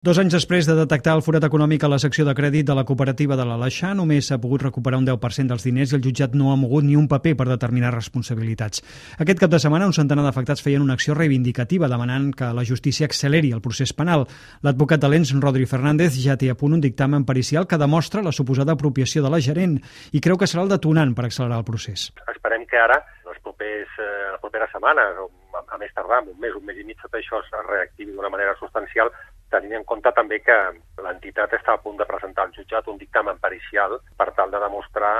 2 anys després de detectar el forat econòmic a la secció de crèdit de la cooperativa de l'Aleixar, només s'ha pogut recuperar un 10% dels diners i el jutjat no ha mogut ni un paper per determinar responsabilitats. Aquest cap de setmana, un centenar d'afectats feien una acció reivindicativa demanant que la justícia acceleri el procés penal. L'advocat de l'ENS, Rodri Fernández, ja té a punt un dictamen pericial que demostra la suposada apropiació de la gerent i creu que serà el detonant per accelerar el procés. Esperem que ara, les properes setmanes, o a més tardar, un mes i mig, tot això es reactivi d'una manera substancial, tenint en compte també que l'entitat està a punt de presentar al jutjat un dictamen pericial per tal de demostrar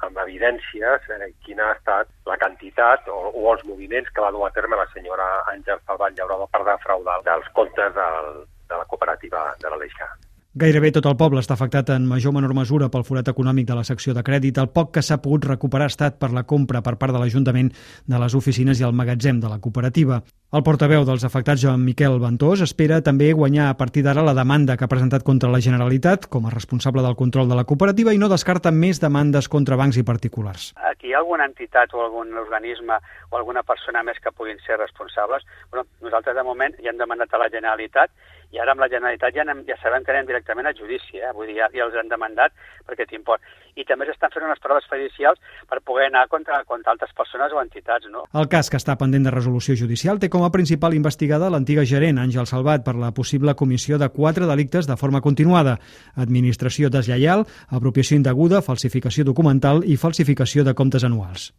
amb evidències quina ha estat la quantitat o els moviments que va dur a terme la senyora Àngels Salvat Llaurador per defraudar dels comptes de la cooperativa de l'Aleixar. Gairebé tot el poble està afectat en major o menor mesura pel forat econòmic de la secció de crèdit. El poc que s'ha pogut recuperar ha estat per la compra per part de l'Ajuntament de les oficines i el magatzem de la cooperativa. El portaveu dels afectats, Joan Miquel Ventós, espera també guanyar a partir d'ara la demanda que ha presentat contra la Generalitat com a responsable del control de la cooperativa i no descarta més demandes contra bancs i particulars. Aquí hi ha alguna entitat o algun organisme o alguna persona més que puguin ser responsables. Nosaltres de moment ja hem demandat a la Generalitat i ara amb la Generalitat ja sabem que anem directament a judici, vull dir, ja els han demandat perquè t'import. I també s'estan fent unes proves pericials per poder anar contra altres persones o entitats, no? El cas, que està pendent de resolució judicial, té com a principal investigada l'antiga gerent, Àngels Salvat, per la possible comissió de 4 delictes de forma continuada: administració deslleial, apropiació indeguda, falsificació documental i falsificació de comptes anuals.